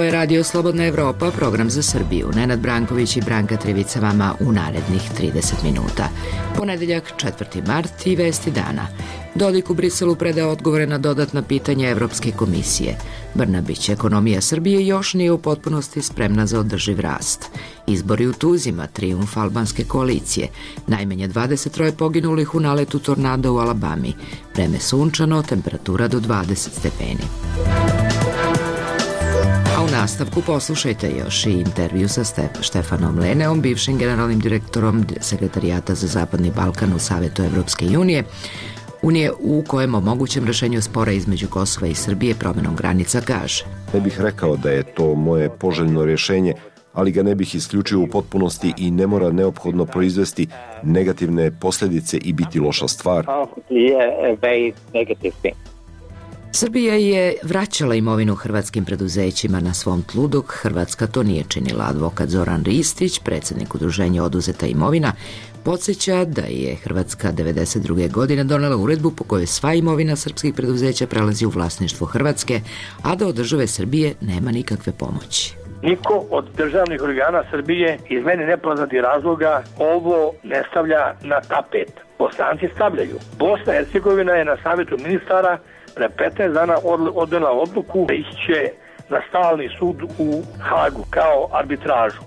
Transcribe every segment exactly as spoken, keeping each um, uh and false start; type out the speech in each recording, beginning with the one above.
Ovo je Radio Slobodna Evropa, program za Srbiju. Nenad Branković i Branka Trivica vama u narednih trideset minuta. Ponedeljak, četvrti mart i vesti dana. Dodik u Briselu predao odgovore na dodatna pitanja Evropske komisije. Brnabić, ekonomija Srbije još nije u potpunosti spremna za održiv rast. Izbori u Tuzima, trijumf albanske koalicije. Najmanje dvadeset troje poginulih u naletu tornada u Alabami. Vreme sunčano, temperatura do dvadeset stepeni. A u nastavku poslušajte još i intervju sa Štefanom Leneom, bivšim generalnim direktorom Sekretarijata za Zapadni Balkan u Savetu Evropske unije, Unije u kojem o mogućem rešenju spora između Kosova i Srbije promjenom granica kaže. Ne bih rekao da je to moje poželjno rješenje, ali ga ne bih isključio u potpunosti i ne mora neophodno proizvesti negativne posljedice i biti loša stvar. Srbija je vraćala imovinu hrvatskim preduzećima na svom tlu, dok Hrvatska to nije činila. Advokat Zoran Ristić, predsjednik udruženja Oduzeta imovina, podsjeća da je Hrvatska devedeset druge godine donela uredbu po kojoj sva imovina srpskih preduzeća prelazi u vlasništvo Hrvatske, a da od države Srbije nema nikakve pomoći. Niko od državnih organa Srbije iz meni nepoznatih razloga ovo ne stavlja na tapet. Bosanci stavljaju. Bosna i Hercegovina je na savjetu ministara pre petnaest dana odnela odluku da iće na stalni sud u Hagu kao arbitražu.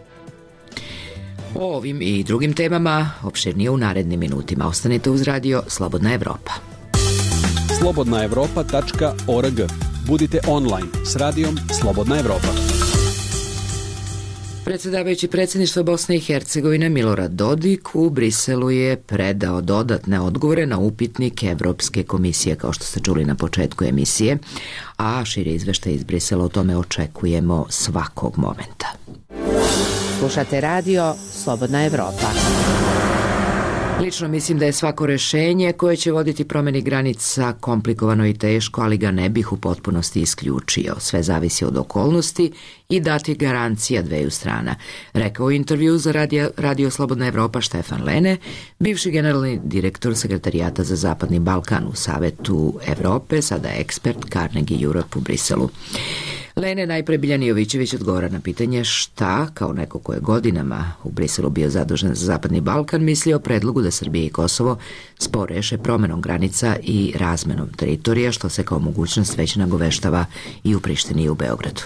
O ovim i drugim temama opširnije u narednim minutima. Ostanite uz radio Slobodna Evropa. slobodna evropa tačka org. Budite online s radijom Slobodna Evropa. Predsjedavajući predsjedništva Bosne i Hercegovine Milorad Dodik u Briselu je predao dodatne odgovore na upitnik Evropske komisije, kao što ste čuli na početku emisije, a širi izveštaj iz Brisela o tome očekujemo svakog momenta. Slušate radio Slobodna Evropa. Lično mislim da je svako rešenje koje će voditi promjeni granica komplikovano i teško, ali ga ne bih u potpunosti isključio. Sve zavisi od okolnosti i dati garancija dveju strana, rekao u intervju za radio, radio Slobodna Evropa Štefan Lene, bivši generalni direktor Sekretarijata za Zapadni Balkan u Savetu Evrope, sada ekspert Carnegie Europe u Briselu. Lene najpre Biljan Jovićević odgovara na pitanje šta, kao neko ko je godinama u Briselu bio zadužen za Zapadni Balkan, misli o predlogu da Srbija i Kosovo spor reše promjenom granica i razmenom teritorija, što se kao mogućnost već nagoveštava i u Prištini i u Beogradu.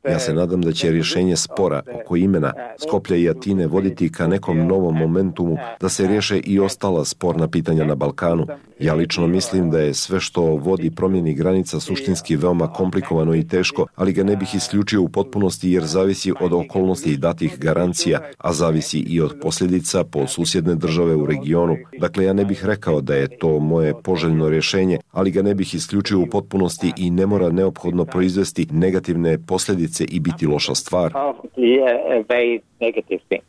Ja se nadam da će rješenje spora oko imena Skoplja i Atine voditi ka nekom novom momentumu da se riješe i ostala sporna pitanja na Balkanu. Ja lično mislim da je sve što vodi promjeni granica suštinski veoma komplikovano i teško, ali ga ne bih isključio u potpunosti jer zavisi od okolnosti i datih garancija, a zavisi i od posljedica po susjedne države u regionu. Dakle, ja ne bih rekao da je to moje poželjno rješenje, ali ga ne bih isključio u potpunosti i ne mora neophodno proizvesti negativne posljedice i biti loša stvar.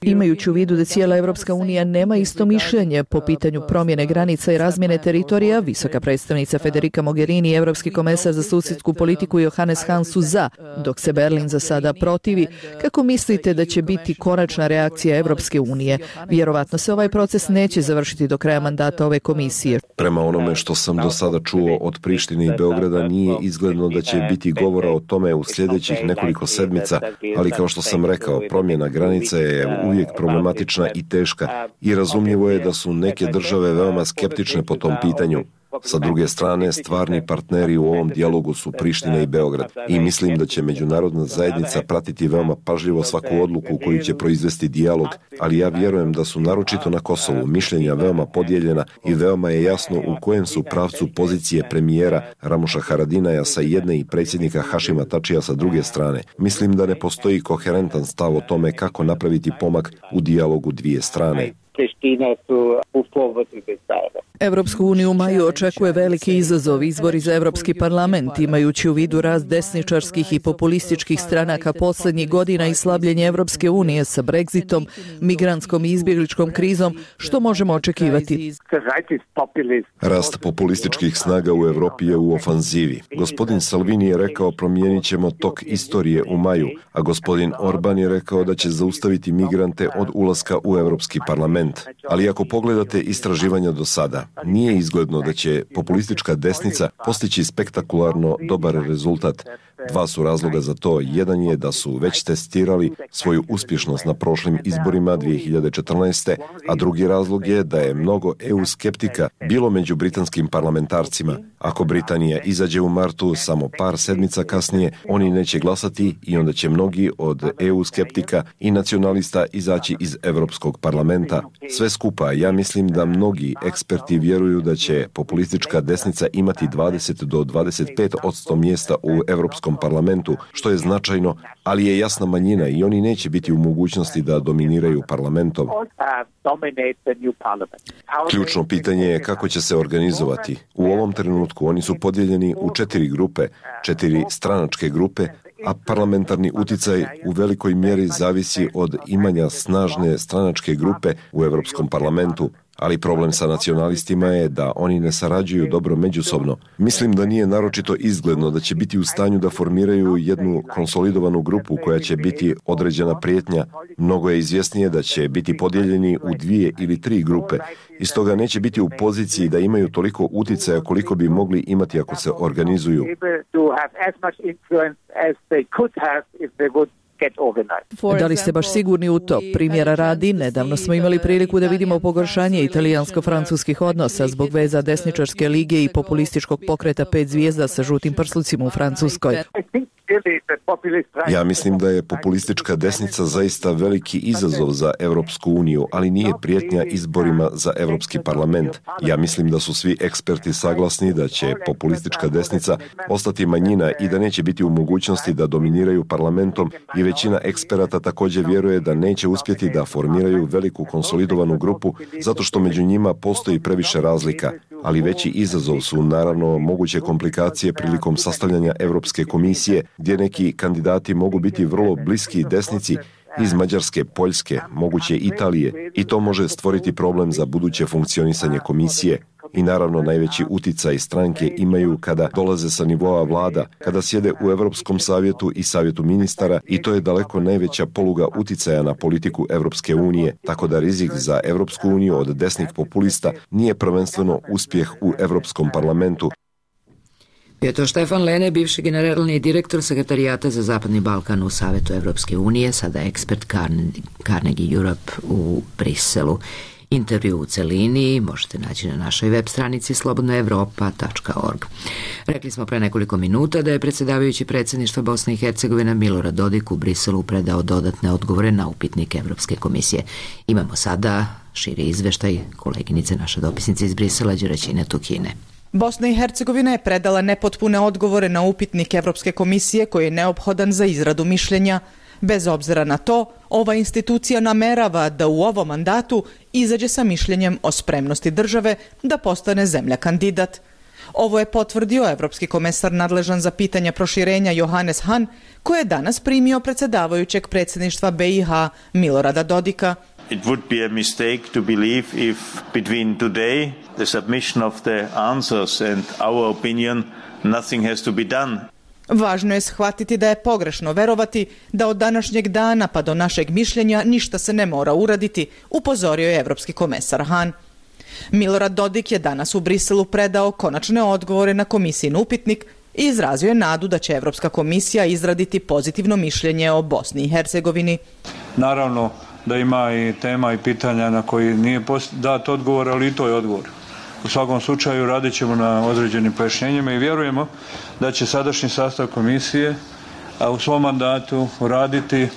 Imajući u vidu da cijela Evropska unija nema isto mišljenje po pitanju promjene granica i razmjene teritorija, visoka predstavnica Federica Mogherini i Evropski komesar za susjedsku politiku Johannes Hahn su za, dok se Berlin za sada protivi. Kako mislite da će biti konačna reakcija Evropske unije? Vjerovatno se ovaj proces neće završiti do kraja mandata ove komisije. Prema onome što sam do sada čuo od Prištine i Beograda, nije izgledno da će biti govora o tome u sljedećih nekoliko sedmica, ali kao što sam rekao, promjena granica je uvijek problematična i teška i razumljivo je da su neke države veoma skeptične po tom pitanju. Sa druge strane, stvarni partneri u ovom dijalogu su Priština i Beograd i mislim da će međunarodna zajednica pratiti veoma pažljivo svaku odluku koju će proizvesti dijalog, ali ja vjerujem da su naročito na Kosovu mišljenja veoma podijeljena i veoma je jasno u kojem su pravcu pozicije premijera Ramuša Haradinaja sa jedne i predsjednika Hašima Tačija sa druge strane. Mislim da ne postoji koherentan stav o tome kako napraviti pomak u dijalogu dvije strane. Evropsku uniju u maju očekuje veliki izazov, izbori za Evropski parlament, imajući u vidu rast desničarskih i populističkih stranaka posljednjih godina i slabljenje Evropske unije sa Brexitom, migrantskom i izbjegličkom krizom, što možemo očekivati? Rast populističkih snaga u Evropi je u ofanzivi. Gospodin Salvini je rekao promijenit ćemo tok istorije u maju, a gospodin Orban je rekao da će zaustaviti migrante od ulaska u Evropski parlament. Ali ako pogledate istraživanja do sada, nije izgledno da će populistička desnica postići spektakularno dobar rezultat. Dva su razloga za to. Jedan je da su već testirali svoju uspješnost na prošlim izborima dvije hiljade četrnaeste. a drugi razlog je da je mnogo E U skeptika bilo među britanskim parlamentarcima. Ako Britanija izađe u martu, samo par sedmica kasnije, oni neće glasati i onda će mnogi od E U skeptika i nacionalista izaći iz Europskog parlamenta. Sve skupa, ja mislim da mnogi eksperti vjeruju da će populistička desnica imati dvadeset do dvadeset pet posto mjesta u Europskom parlamentu, što je značajno, ali je jasna manjina i oni neće biti u mogućnosti da dominiraju parlamentom. Ključno pitanje je kako će se organizovati. U ovom trenutku oni su podijeljeni u četiri grupe, četiri stranačke grupe, a parlamentarni uticaj u velikoj mjeri zavisi od imanja snažne stranačke grupe u Europskom parlamentu. Ali problem sa nacionalistima je da oni ne sarađuju dobro međusobno. Mislim da nije naročito izgledno da će biti u stanju da formiraju jednu konsolidovanu grupu koja će biti određena prijetnja. Mnogo je izvjesnije da će biti podijeljeni u dvije ili tri grupe i stoga neće biti u poziciji da imaju toliko uticaja koliko bi mogli imati ako se organizuju. Da li ste baš sigurni u to? Primjera radi, nedavno smo imali priliku da vidimo pogoršanje italijansko-francuskih odnosa zbog veza desničarske lige i populističkog pokreta pet zvijezda sa žutim prslucima u Francuskoj. Ja mislim da je populistička desnica zaista veliki izazov za Europsku uniju, ali nije prijetnja izborima za Europski parlament. Ja mislim da su svi eksperti saglasni da će populistička desnica ostati manjina i da neće biti u mogućnosti da dominiraju parlamentom i većina eksperata također vjeruje da neće uspjeti da formiraju veliku konsolidovanu grupu zato što među njima postoji previše razlika. Ali veći izazov su naravno moguće komplikacije prilikom sastavljanja Europske komisije, gdje neki kandidati mogu biti vrlo bliski desnici iz Mađarske, Poljske, moguće Italije, i to može stvoriti problem za buduće funkcionisanje komisije. I naravno najveći uticaj stranke imaju kada dolaze sa nivoa vlada, kada sjede u Europskom savjetu i savjetu ministara, i to je daleko najveća poluga uticaja na politiku Europske unije, tako da rizik za Europsku uniju od desnih populista nije prvenstveno uspjeh u Europskom parlamentu. Je to Štefan Lene, bivši generalni direktor sekretarijata za Zapadni Balkan u Savetu Evropske unije, sada ekspert Carnegie Europe u Briselu. Intervju u celini možete naći na našoj web stranici slobodna evropa tačka org. Rekli smo pre nekoliko minuta da je predsjedavajući predsjedništva Bosne i Hercegovine Milorad Dodik u Briselu predao dodatne odgovore na upitnik Evropske komisije. Imamo sada širi izveštaj koleginice, naše dopisnice iz Brisela, Đeraćine Tukine. Bosna i Hercegovina je predala nepotpune odgovore na upitnik Evropske komisije koji je neophodan za izradu mišljenja. Bez obzira na to, ova institucija namerava da u ovom mandatu izađe sa mišljenjem o spremnosti države da postane zemlja kandidat. Ovo je potvrdio evropski komesar nadležan za pitanja proširenja Johannes Hahn, koji je danas primio predsjedavajućeg predsjedništva B i H Milorada Dodika. It would be a mistake to believe if between today, the submission of the answers and our opinion, nothing has to be done. Važno je shvatiti da je pogrešno verovati da od današnjeg dana pa do našeg mišljenja ništa se ne mora uraditi, upozorio je evropski komesar Hahn. Milorad Dodik je danas u Briselu predao konačne odgovore na komisijin upitnik i izrazio je nadu da će Evropska komisija izraditi pozitivno mišljenje o Bosni i Hercegovini. Naravno da ima i tema i pitanja na koji nije dat odgovor, ali i to je odgovor. U svakom slučaju radit ćemo na određenim pojašnjenjima i vjerujemo da će sadašnji sastav komisije u svom mandatu uraditi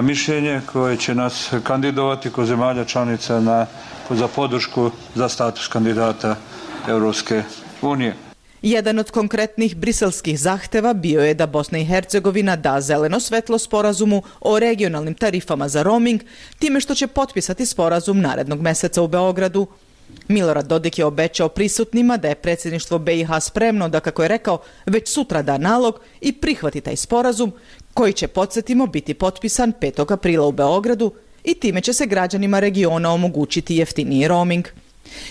mišljenje koje će nas kandidovati kod zemalja članica na, za podršku za status kandidata Europske unije. Jedan od konkretnih briselskih zahteva bio je da Bosna i Hercegovina da zeleno svetlo sporazumu o regionalnim tarifama za roaming, time što će potpisati sporazum narednog meseca u Beogradu. Milorad Dodik je obećao prisutnima da je predsjedništvo B i H spremno da, kako je rekao, već sutra da nalog i prihvati taj sporazum koji će, podsjetimo, biti potpisan petog aprila u Beogradu i time će se građanima regiona omogućiti jeftiniji roaming.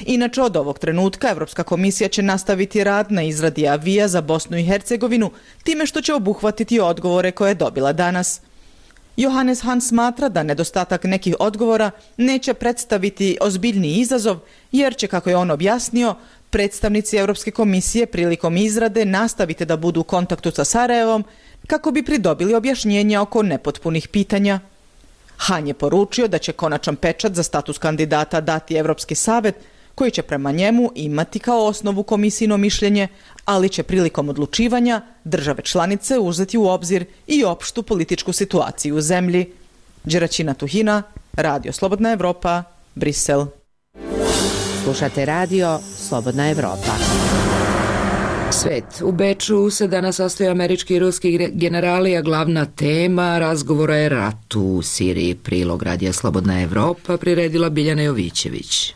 Inače, od ovog trenutka Evropska komisija će nastaviti rad na izradi avija za Bosnu i Hercegovinu time što će obuhvatiti odgovore koje je dobila danas. Johannes Hahn smatra da nedostatak nekih odgovora neće predstaviti ozbiljniji izazov jer će, kako je on objasnio, Predstavnici Europske komisije prilikom izrade nastavite da budu u kontaktu sa Sarajevom kako bi pridobili objašnjenja oko nepotpunih pitanja. Han je poručio da će konačan pečat za status kandidata dati Evropski savet, koji će prema njemu imati kao osnovu komisijino mišljenje, ali će prilikom odlučivanja države članice uzeti u obzir i opštu političku situaciju u zemlji. Đeraćina Tuhina, Radio Slobodna Evropa, Brisel. Slušate Radio Slobodna Evropa. Svet. U Beču se danas sastoje američki i ruski generali, a glavna tema razgovora je rat u Siriji. Prilog Radija Slobodna Evropa priredila Biljana Jovićević.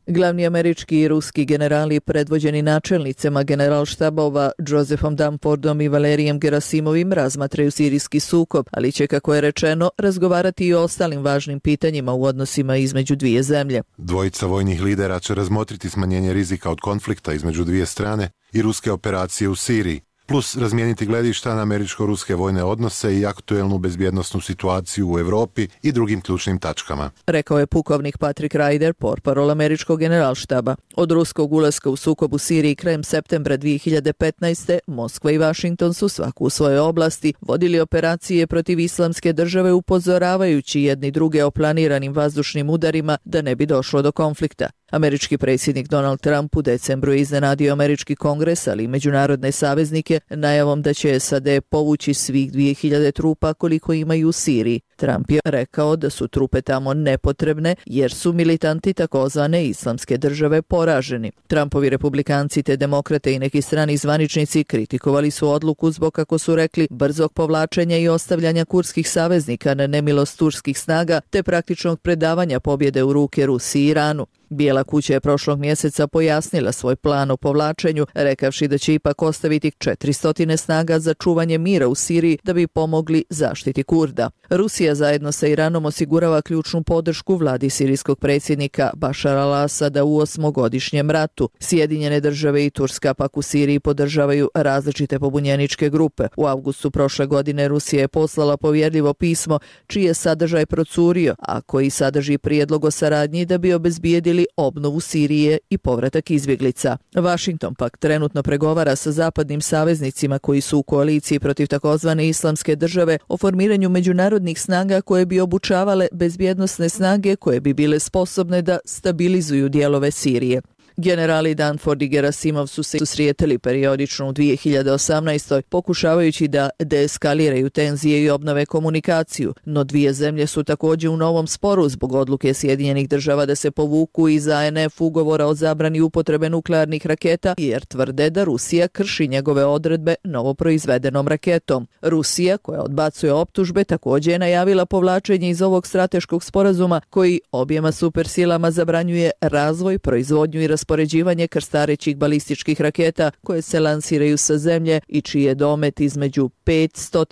Glavni američki i ruski generali predvođeni načelnicima generalštabova Josephom Dunfordom i Valerijem Gerasimovim razmatraju sirijski sukob, ali će, kako je rečeno, razgovarati i o ostalim važnim pitanjima u odnosima između dvije zemlje. Dvojica vojnih lidera će razmotriti smanjenje rizika od konflikta između dvije strane i ruske operacije u Siriji, plus razmijeniti gledišta na američko-ruske vojne odnose i aktuelnu bezbjednosnu situaciju u Evropi i drugim ključnim tačkama. Rekao je pukovnik Patrick Ryder, portparol američkog generalštaba. Od ruskog ulaska u sukob u Siriji krajem septembra dvije hiljade petnaeste. Moskva i Vašington su svaku u svojoj oblasti vodili operacije protiv islamske države, upozoravajući jedni druge o planiranim vazdušnim udarima da ne bi došlo do konflikta. Američki predsjednik Donald Trump u decembru je iznenadio američki kongres, ali i međunarodne saveznike, najavom da će S A D povući svih dvije hiljade trupa koliko imaju u Siriji. Trump je rekao da su trupe tamo nepotrebne jer su militanti takozvane islamske države poraženi. Trumpovi republikanci te demokrate i neki strani zvaničnici kritikovali su odluku zbog, kako su rekli, brzog povlačenja i ostavljanja kurskih saveznika na nemilost turskih snaga te praktičnog predavanja pobjede u ruke Rusiji i Iranu. Bijela kuća je prošlog mjeseca pojasnila svoj plan o povlačenju, rekavši da će ipak ostaviti četiristo snaga za čuvanje mira u Siriji da bi pomogli zaštiti Kurda. Rusija zajedno sa Iranom osigurava ključnu podršku vladi sirijskog predsjednika Bašara al-Asada u osmogodišnjem ratu. Sjedinjene države i Turska pak u Siriji podržavaju različite pobunjeničke grupe. U avgustu prošle godine Rusija je poslala povjerljivo pismo čiji je sadržaj procurio, a koji sadrži prijedlog o saradnji da bi obezbijedili obnovu Sirije i povratak izbjeglica. Washington pak trenutno pregovara sa zapadnim saveznicima koji su u koaliciji protiv takozvane islamske države o formiranju međunarodnih snaga koje bi obučavale bezbjednosne snage koje bi bile sposobne da stabilizuju dijelove Sirije. Generali Dunford i Gerasimov su se susretali periodično u dvije hiljade osamnaestoj pokušavajući da deeskaliraju tenzije i obnove komunikaciju, no dvije zemlje su također u novom sporu zbog odluke Sjedinjenih država da se povuku iz A N F ugovora o zabrani upotrebe nuklearnih raketa jer tvrde da Rusija krši njegove odredbe novoproizvedenom raketom. Rusija, koja odbacuje optužbe, također je najavila povlačenje iz ovog strateškog sporazuma koji objema supersilama zabranjuje razvoj, proizvodnju i raspoređivanje krstarećih balističkih raketa koje se lansiraju sa zemlje i čiji je domet između petsto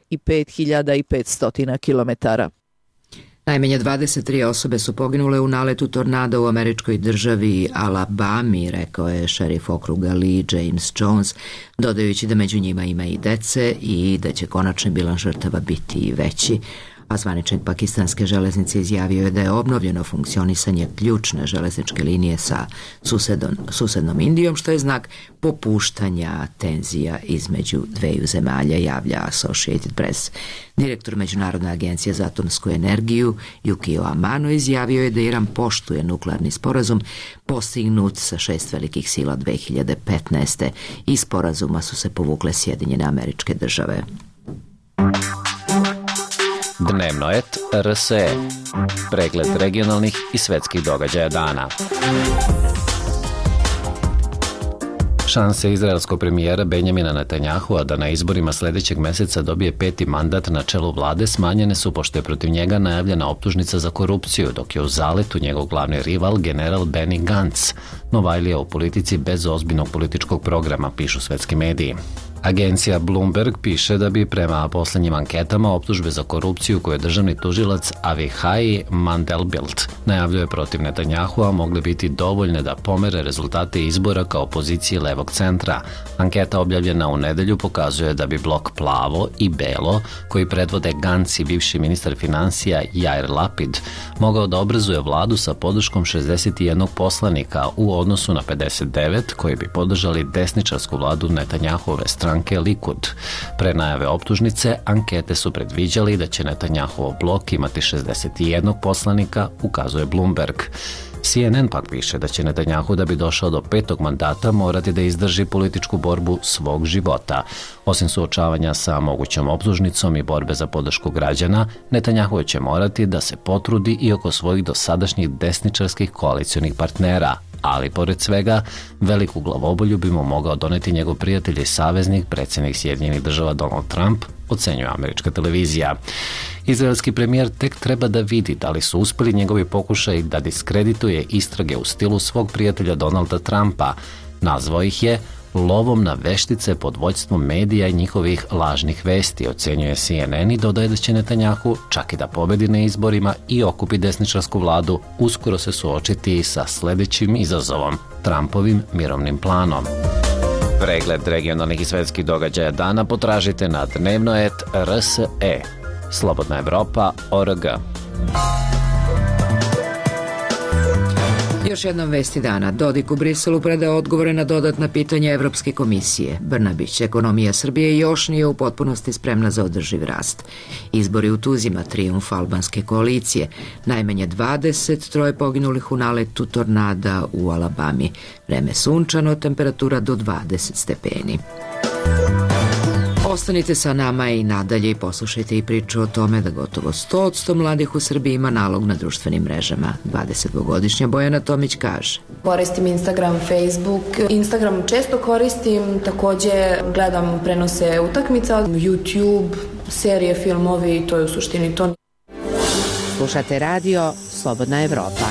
i pet hiljada petsto kilometara. Najmanje dvadeset tri osobe su poginule u naletu tornada u američkoj državi Alabami, rekao je šerif okruga Lee James Jones, dodajući da među njima ima i dece i da će konačni bilans žrtava biti i veći. A zvaničnik pakistanske železnice izjavio je da je obnovljeno funkcionisanje ključne železničke linije sa susedom, susednom Indijom, što je znak popuštanja tenzija između dveju zemalja, javlja Associated Press. Direktor Međunarodne agencije za atomsku energiju Yukio Amano izjavio je da Iran poštuje nuklearni sporazum postignut sa šest velikih sila dvije hiljade petnaeste. Iz sporazuma su se povukle Sjedinjene Američke Države. Dnevno et R S E. Pregled regionalnih i svetskih događaja dana. Šanse izraelskog premijera Benjamina Netanyahua da na izborima sljedećeg mjeseca dobije peti mandat na čelu vlade smanjene su pošto je protiv njega najavljena optužnica za korupciju, dok je u zaletu njegov glavni rival general Benny Gantz, novajlija u politici bez ozbiljnog političkog programa, pišu svetski mediji. Agencija Bloomberg piše da bi prema poslednjim anketama optužbe za korupciju koje je državni tužilac Avichai Mandelblit najavljuje protiv Netanjahua mogle biti dovoljne da pomere rezultate izbora kao opozicije levog centra. Anketa objavljena u nedelju pokazuje da bi blok Plavo i Belo, koji predvode Gantz i bivši ministar finansija Jair Lapid, mogao da obrazuje vladu sa podrškom šezdeset jedan poslanika u odnosu na pedeset devet koji bi podržali desničarsku vladu Netanjahuove stranke Likud. Pre najave optužnice, ankete su predviđali da će Netanjahov blok imati šezdeset jedan poslanika, ukazuje Bloomberg. C N N pak piše da će Netanjahu da bi došao do petog mandata morati da izdrži političku borbu svog života. Osim suočavanja sa mogućom optužnicom i borbe za podršku građana, Netanjahu će morati da se potrudi i oko svojih dosadašnjih desničarskih koalicionih partnera. Ali, pored svega, veliku glavobolju bi mu mogao doneti njegov prijatelj i saveznik, predsjednik Sjedinjenih država Donald Trump, ocenjuje američka televizija. Izraelski premijer tek treba da vidi da li su uspeli njegovi pokušaj da diskredituje istrage u stilu svog prijatelja Donalda Trumpa. Nazvao ih je lovom na veštice pod vođstvom medija i njihovih lažnih vesti, ocenjuje C N N i dodaje da će Netanjahu, čak i da pobedi na izborima i okupi desničarsku vladu, uskoro se suočiti sa sledećim izazovom, Trumpovim mirovnim planom. Pregled regionalnih i svetskih događaja dana potražite na dnevnoet R S E. Slobodna Evropa, O R G. Još jednom vesti dana. Dodik u Briselu predao odgovore na dodatna pitanja Evropske komisije. Brnabić, ekonomija Srbije još nije u potpunosti spremna za održiv rast. Izbori u Tuzima, trijumf albanske koalicije. Najmanje dvadeset, troje poginulih u naletu tornada u Alabami. Vreme sunčano, temperatura do dvadeset stepeni. Ostanite sa nama i nadalje i poslušajte i priču o tome da gotovo sto posto mladih u Srbiji ima nalog na društvenim mrežama. dvadesetdvogodišnja Bojana Tomić kaže: Koristim Instagram, Facebook. Instagram često koristim, takođe gledam prenose utakmica, YouTube, serije, filmovi, to je u suštini to. Slušate radio Slobodna Evropa.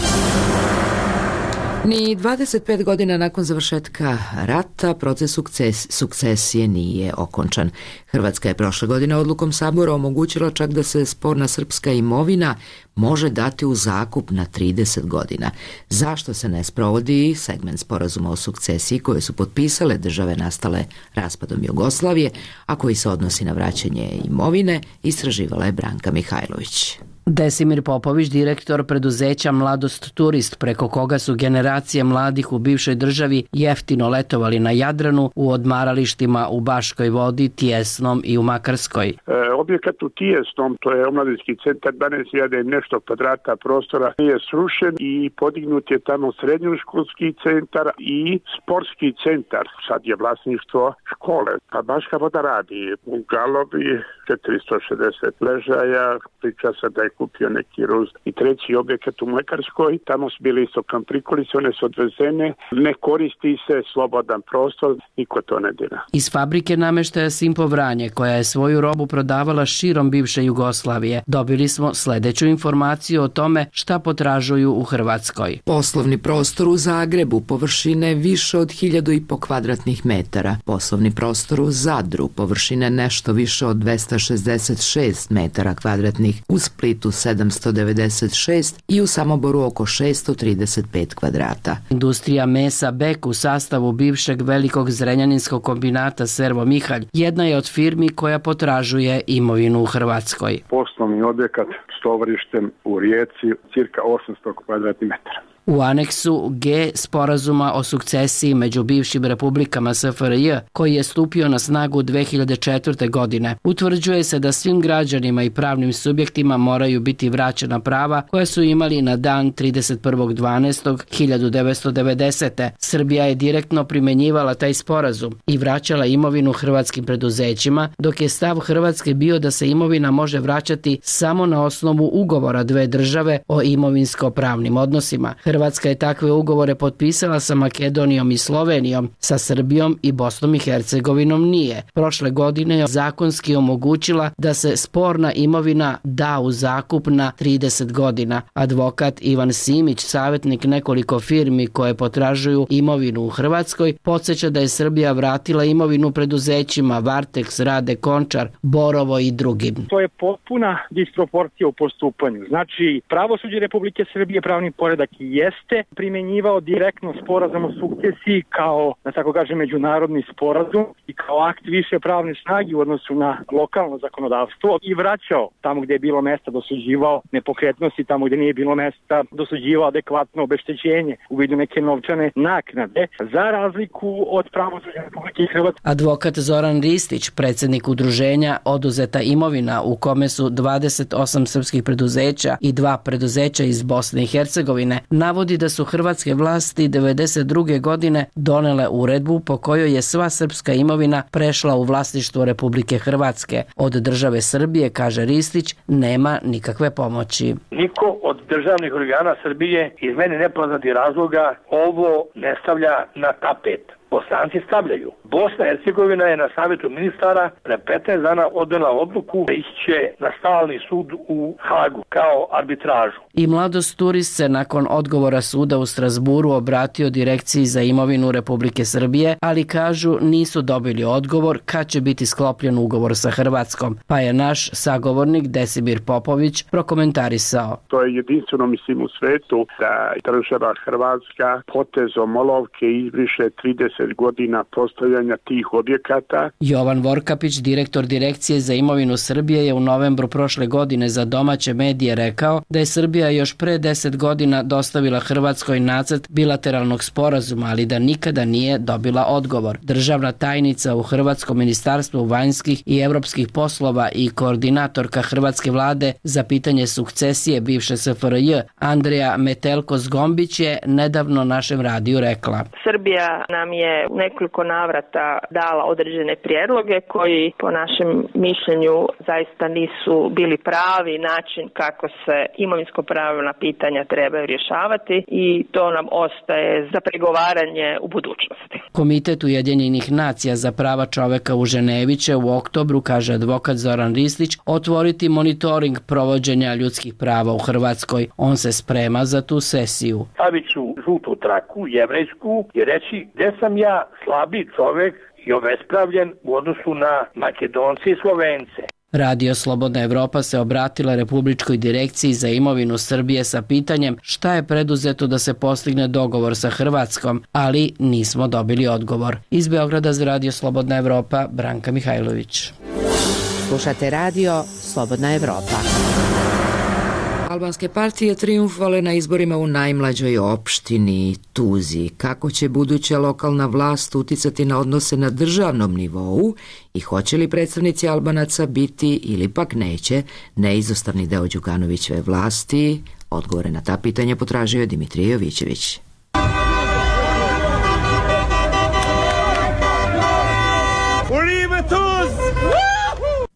Ni dvadeset pet godina nakon završetka rata proces sukces, sukcesije nije okončan. Hrvatska je prošle godine odlukom Sabora omogućila čak da se sporna srpska imovina može dati u zakup na trideset godina. Zašto se ne sprovodi segment sporazuma o sukcesiji koje su potpisale države nastale raspadom Jugoslavije, a koji se odnosi na vraćanje imovine, istraživala je Branka Mihajlović. Desimir Popović, direktor preduzeća Mladost Turist, preko koga su generacije mladih u bivšoj državi jeftino letovali na Jadranu, u odmaralištima u Baškoj Vodi, Tijesnom i u Makarskoj. E, objekat u Tijesnom, to je omladinski centar, dvanaest hiljada i nešto kvadrata prostora, je srušen i podignut je tamo srednjoškolski centar i sportski centar. Sad je vlasništvo škole. Pa Baška Voda radi u Galovi, četiristo šezdeset ležaja, priča se da je kupio neki Rus. I treći objekat u Mlekarskoj, tamo su bili isto kamprikolice, one su odvezene, ne koristi se, slobodan prostor, niko to ne dira. Iz fabrike nameštaja Simpo Vranje, koja je svoju robu prodavala širom bivše Jugoslavije, dobili smo sledeću informaciju o tome šta potražuju u Hrvatskoj. Poslovni prostor u Zagrebu površine više od hiljadu i po kvadratnih metara. Poslovni prostor u Zadru površine nešto više od dvesta šezdeset šest metara kvadratnih, u Splitu sedamsto devedeset šest i u Samoboru oko šesto trideset pet kvadrata. Industrija mesa Bek u sastavu bivšeg velikog zrenjaninskog kombinata Servo Mihalj jedna je od firmi koja potražuje imovinu u Hrvatskoj. Poslovni objekat s tovarištem u Rijeci, cirka osamsto kvadratnih metara. U aneksu G sporazuma o sukcesiji među bivšim republikama S F R J, koji je stupio na snagu dve hiljade četvrte. godine, utvrđuje se da svim građanima i pravnim subjektima moraju biti vraćena prava koja su imali na dan trideset prvog dvanaestog hiljadu devetsto devedesete. Srbija je direktno primenjivala taj sporazum i vraćala imovinu hrvatskim preduzećima, dok je stav Hrvatske bio da se imovina može vraćati samo na osnovu ugovora dve države o imovinsko-pravnim odnosima. Hrvatska je takve ugovore potpisala sa Makedonijom i Slovenijom, sa Srbijom i Bosnom i Hercegovinom nije. Prošle godine je zakonski omogućila da se sporna imovina da u zakup na trideset godina. Advokat Ivan Simić, savjetnik nekoliko firmi koje potražuju imovinu u Hrvatskoj, podsjeća da je Srbija vratila imovinu preduzećima Varteks, Rade, Končar, Borovo i drugim. To je potpuna disproporcija u postupanju. Znači, pravosuđe Republike Srbije, pravni poredak jeste primjenjivao direktno sporazum o sukcesiji kao, da tako kažem, međunarodni sporazum i kao akt više pravne snage u odnosu na lokalno zakonodavstvo i vraćao tamo gdje je bilo mesta, dosuđivao nepokretnosti, tamo gdje nije bilo mesta, dosuđivao adekvatno obeštećenje u vidu neke novčane naknade, za razliku od pravosuđa Republike Hrvatske. Advokat Zoran Ristić, predsjednik udruženja Oduzeta imovina, u kome su dvadeset osam srpskih preduzeća i dva preduzeća iz Bosne i Hercegovine, navodi da su hrvatske vlasti devedeset druge godine donele uredbu po kojoj je sva srpska imovina prešla u vlasništvo Republike Hrvatske. Od države Srbije, kaže Ristić, nema nikakve pomoći. Niko od državnih organa Srbije iz mene nepoznatih razloga ovo ne stavlja na tapet. Bosanci stavljaju. Bosna i Hercegovina je na savjetu ministara pre petnaest dana odnela odluku da iće na stalni sud u Hagu kao arbitražu. I Mladost Turist se nakon odgovora suda u Strasburu obratio Direkciji za imovinu Republike Srbije, ali kažu nisu dobili odgovor kad će biti sklopljen ugovor sa Hrvatskom, pa je naš sagovornik Desimir Popović prokomentarisao. To je jedinstveno, mislim, u svetu da država Hrvatska potezom olovke izbriše trideset godina postavljanja tih objekata. Jovan Vorkapić, direktor Direkcije za imovinu Srbije, je u novembru prošle godine za domaće medije rekao da je Srbija još pre deset godina dostavila Hrvatskoj nacrt bilateralnog sporazuma, ali da nikada nije dobila odgovor. Državna tajnica u Hrvatskom ministarstvu vanjskih i evropskih poslova i koordinatorka Hrvatske vlade za pitanje sukcesije bivše S F R J, Andreja Metelko-Zgombić, je nedavno našem radiju rekla. Srbija nam je u nekoliko navrata dala određene prijedloge koji po našem mišljenju zaista nisu bili pravi način kako se imovinsko-pravna pitanja trebaju rješavati i to nam ostaje za pregovaranje u budućnosti. Komitet Ujedinjenih nacija za prava čoveka u Ženevi će u oktobru, kaže advokat Zoran Ristić, otvoriti monitoring provođenja ljudskih prava u Hrvatskoj. On se sprema za tu sesiju. Stavit ću žutu traku, jevrejsku, i reći gdje sam ja slabi čovjek i obespravljen u odnosu na Makedonce i Slovence. Radio Slobodna Evropa se obratila Republičkoj direkciji za imovinu Srbije sa pitanjem šta je preduzeto da se postigne dogovor sa Hrvatskom, ali nismo dobili odgovor. Iz Beograda za Radio Slobodna Evropa, Branka Mihajlović. Slušate Radio Slobodna Evropa. Albanske partije trijumfovale na izborima u najmlađoj opštini Tuzi. Kako će buduća lokalna vlast uticati na odnose na državnom nivou i hoće li predstavnici Albanaca biti ili pak neće neizostavni deo Đukanovićeve vlasti? Odgovore na ta pitanja potražio je Dimitrije Jovićević.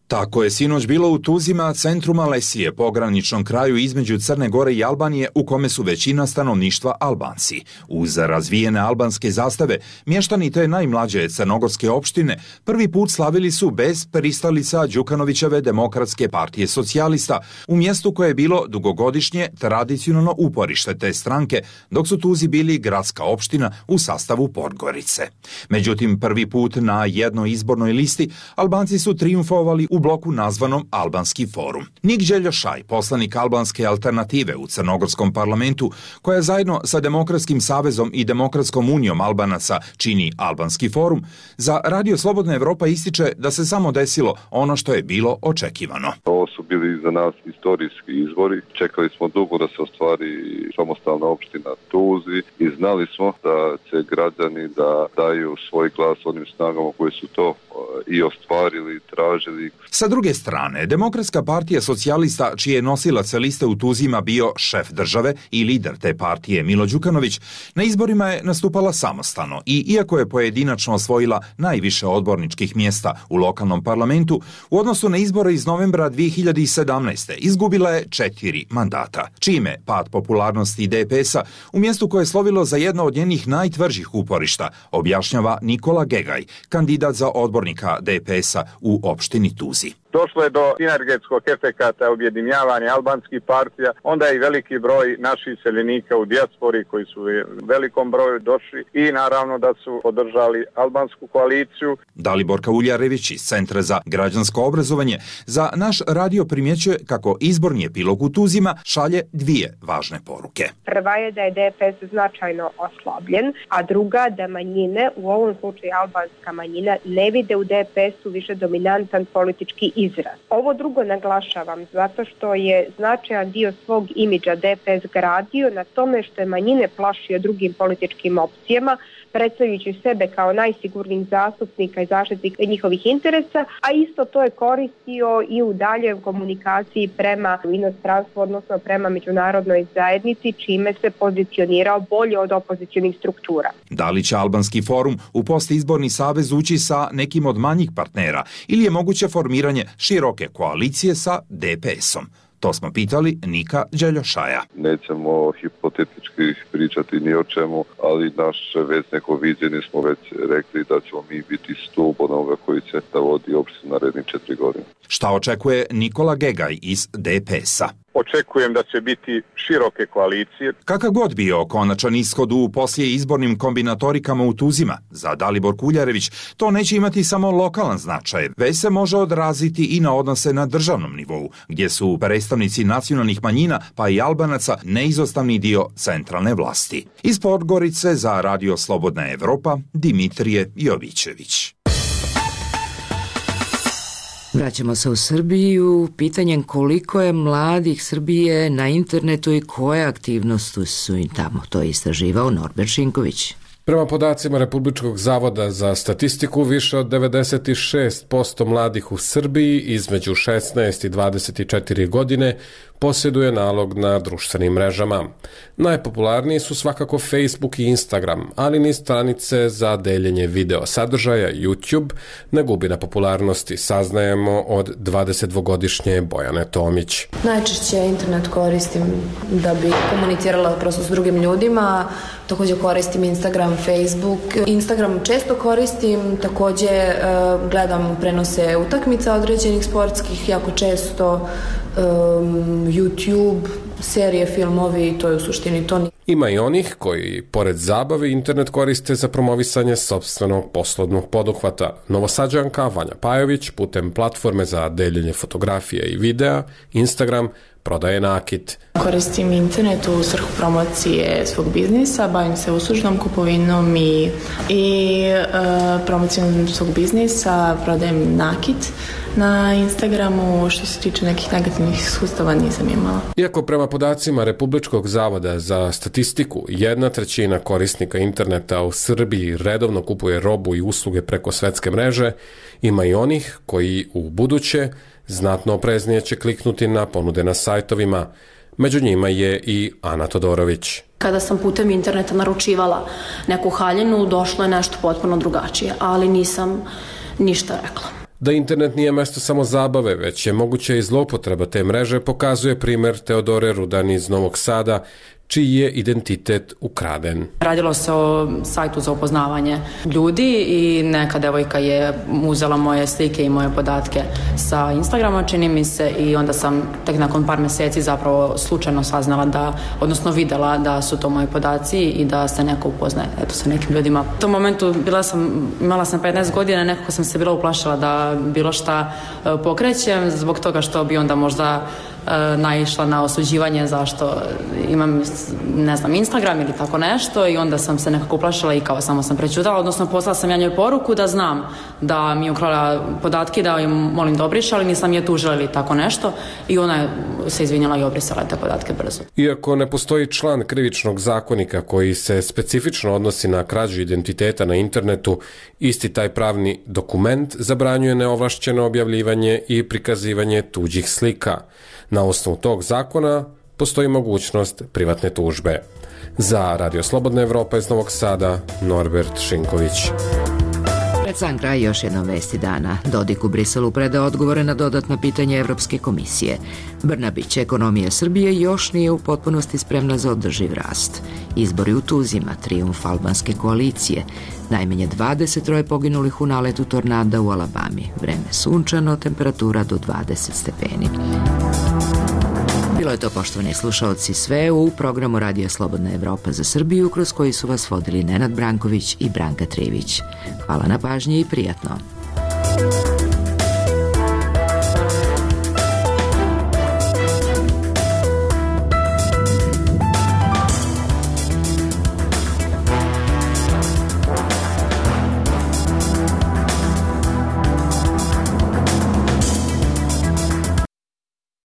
Tako je sinoć bilo u Tuzima, centru Malesije, pograničnom kraju između Crne Gore i Albanije, u kome su većina stanovništva Albanci. Uz razvijene albanske zastave, mještani te najmlađe crnogorske opštine prvi put slavili su bez pristalica Đukanovićeve Demokratske partije socijalista, u mjestu koje je bilo dugogodišnje tradicionalno uporište te stranke, dok su Tuzi bili gradska opština u sastavu Podgorice. Međutim, prvi put na jednoj izbornoj listi Albanci su trijumfovali u bloku nazvanom Albanski forum. Nik Đeljošaj, poslanik Albanske alternative u Crnogorskom parlamentu, koja zajedno sa Demokratskim savezom i Demokratskom unijom Albanaca čini Albanski forum, za Radio Slobodna Evropa ističe da se samo desilo ono što je bilo očekivano. Ovo su bili za nas istorijski izbori. Čekali smo dugo da se ostvari samostalna opština Tuzi i znali smo da će građani da daju svoj glas onim snagama koji su to i ostvarili, tražili, Sa druge strane, Demokratska partija socijalista, čiji je nosilac liste u Tuzima bio šef države i lider te partije Milo Đukanović, na izborima je nastupala samostalno i iako je pojedinačno osvojila najviše odborničkih mjesta u lokalnom parlamentu, u odnosu na izbore iz novembra dvije hiljade sedamnaeste. izgubila je četiri mandata, čime pad popularnosti D P S-a u mjestu koje je slovilo za jedno od njenih najtvrđih uporišta, objašnjava Nikola Gegaj, kandidat za odbornika D P S-a u opštini Tuzi. Došlo je do sinergetskog efekata objedinjavanja albanskih partija, onda je i veliki broj naših seljenika u dijaspori koji su u velikom broju došli i naravno da su podržali albansku koaliciju. Dalibor Kauljarević iz Centra za građansko obrazovanje za naš radio primjećuje kako izborni epilog u Tuzima šalje dvije važne poruke. Prva je da je D P S značajno oslabljen, a druga da manjine, u ovom slučaju albanska manjina, ne vide u D P S-u više dominantan politički izraz. Ovo drugo naglašavam zato što je značajan dio svog imidža D P S gradio na tome što je manjine plašio drugim političkim opcijama, predstavljajući sebe kao najsigurnijih zastupnika i zaštitnika njihovih interesa, a isto to je koristio i u daljoj komunikaciji prema inostranstvu, odnosno prema međunarodnoj zajednici, čime se pozicionirao bolje od opozicionih struktura. Da li će Albanski forum u postizborni savez ući sa nekim od manjih partnera ili je moguće formiranje široke koalicije sa D P S-om? To smo pitali Nika Đeljošaja. Nećemo hipotetički pričati ni o čemu, ali naše već neko viđenje smo već rekli da ćemo mi biti stup onoga koji će da vodi opštinu narednih četiri godine. Šta očekuje Nikola Gegaj iz D P S-a? Očekujem da će biti široke koalicije. Kakav god bio konačan ishod u poslije izbornim kombinatorikama u Tuzima, za Dalibor Kuljarević, to neće imati samo lokalan značaj, već se može odraziti i na odnose na državnom nivou, gdje su predstavnici nacionalnih manjina, pa i Albanaca, neizostavni dio centralne vlasti. Iz Podgorice za Radio Slobodna Evropa, Dimitrije Jovićević. Vraćamo se u Srbiju pitanjem koliko je mladih Srbije na internetu i koje aktivnosti su im tamo. To je istraživao Norbert Šinković. Prema podacima Republičkog zavoda za statistiku, više od devedeset šest posto mladih u Srbiji između šesnaest i dvadeset četiri godine posjeduje nalog na društvenim mrežama. Najpopularniji su svakako Facebook i Instagram, ali ni stranice za deljenje video sadržaja YouTube ne gubi na popularnosti, saznajemo od dvadesetdvogodišnje Bojane Tomić. Najčešće internet koristim da bi komunicirala prosto s drugim ljudima, također koristim Instagram, Facebook. Instagram često koristim, također gledam prenose utakmica određenih sportskih, jako često um, YouTube, serije, filmovi, to je u suštini to. Ima i onih koji, pored zabave, internet koriste za promovisanje sopstvenog poslovnog poduhvata. Novosađanka Vanja Pajović putem platforme za deljenje fotografije i videa, Instagram, prodaje nakit. Koristim internet u svrhu promocije svog biznisa, bavim se uslužnom kupovinom i, i e, promocijom svog biznisa, prodajem nakit na Instagramu. Što se tiče nekih negativnih iskustava nisam imala. Iako prema podacima Republičkog zavoda za statistiku, jedna trećina korisnika interneta u Srbiji redovno kupuje robu i usluge preko svetske mreže, ima i onih koji u buduće znatno opreznije će kliknuti na ponude na sajtovima. Među njima je i Ana Todorović. Kada sam putem interneta naručivala neku haljinu, došlo je nešto potpuno drugačije, ali nisam ništa rekla. Da internet nije mesto samo zabave, već je moguće i zloupotreba te mreže, pokazuje primer Teodore Rudan iz Novog Sada, čiji je identitet ukraden. Radilo se o sajtu za upoznavanje ljudi i neka devojka je uzela moje slike i moje podatke sa Instagrama, čini mi se, i onda sam tek nakon par mjeseci zapravo slučajno saznala da, odnosno videla da su to moji podaci i da se neko upoznaje eto, sa nekim ljudima. U tom momentu bila sam, imala sam petnaest godina, nekako sam se bila uplašila da bilo šta pokrećem, zbog toga što bi onda možda naišla na osuđivanje zašto imam, ne znam, Instagram ili tako nešto i onda sam se nekako uplašila i kao samo sam prećutala, odnosno poslala sam ja njoj poruku da znam da mi je ukrala podatke, da im molim da obriše, ali nisam je tužila ili tako nešto i ona je se izvinjala i obrisala te podatke brzo. Iako ne postoji član krivičnog zakonika koji se specifično odnosi na krađu identiteta na internetu, isti taj pravni dokument zabranjuje neovlašćeno objavljivanje i prikazivanje tuđih slika. Na osnovu tog zakona postoji mogućnost privatne tužbe. Za Radio Slobodna Evropa iz Novog Sada, Norbert Šinković. Pred sam kraj još jednom vesti dana. Dodik u Briselu preda odgovore na dodatna pitanja Evropske komisije. Brnabić, ekonomija Srbije još nije u potpunosti spremna za održiv rast. Izbori u Tuzima, trijumf albanske koalicije. Najmanje dvadeset troje poginulih u naletu tornada u Alabami. Vreme sunčano, temperatura do dvadeset stepeni. Bilo je to, poštovani slušaoci, sve u programu Radio Slobodna Evropa za Srbiju, kroz koji su vas vodili Nenad Branković i Branka Trivić. Hvala na pažnji i prijatno.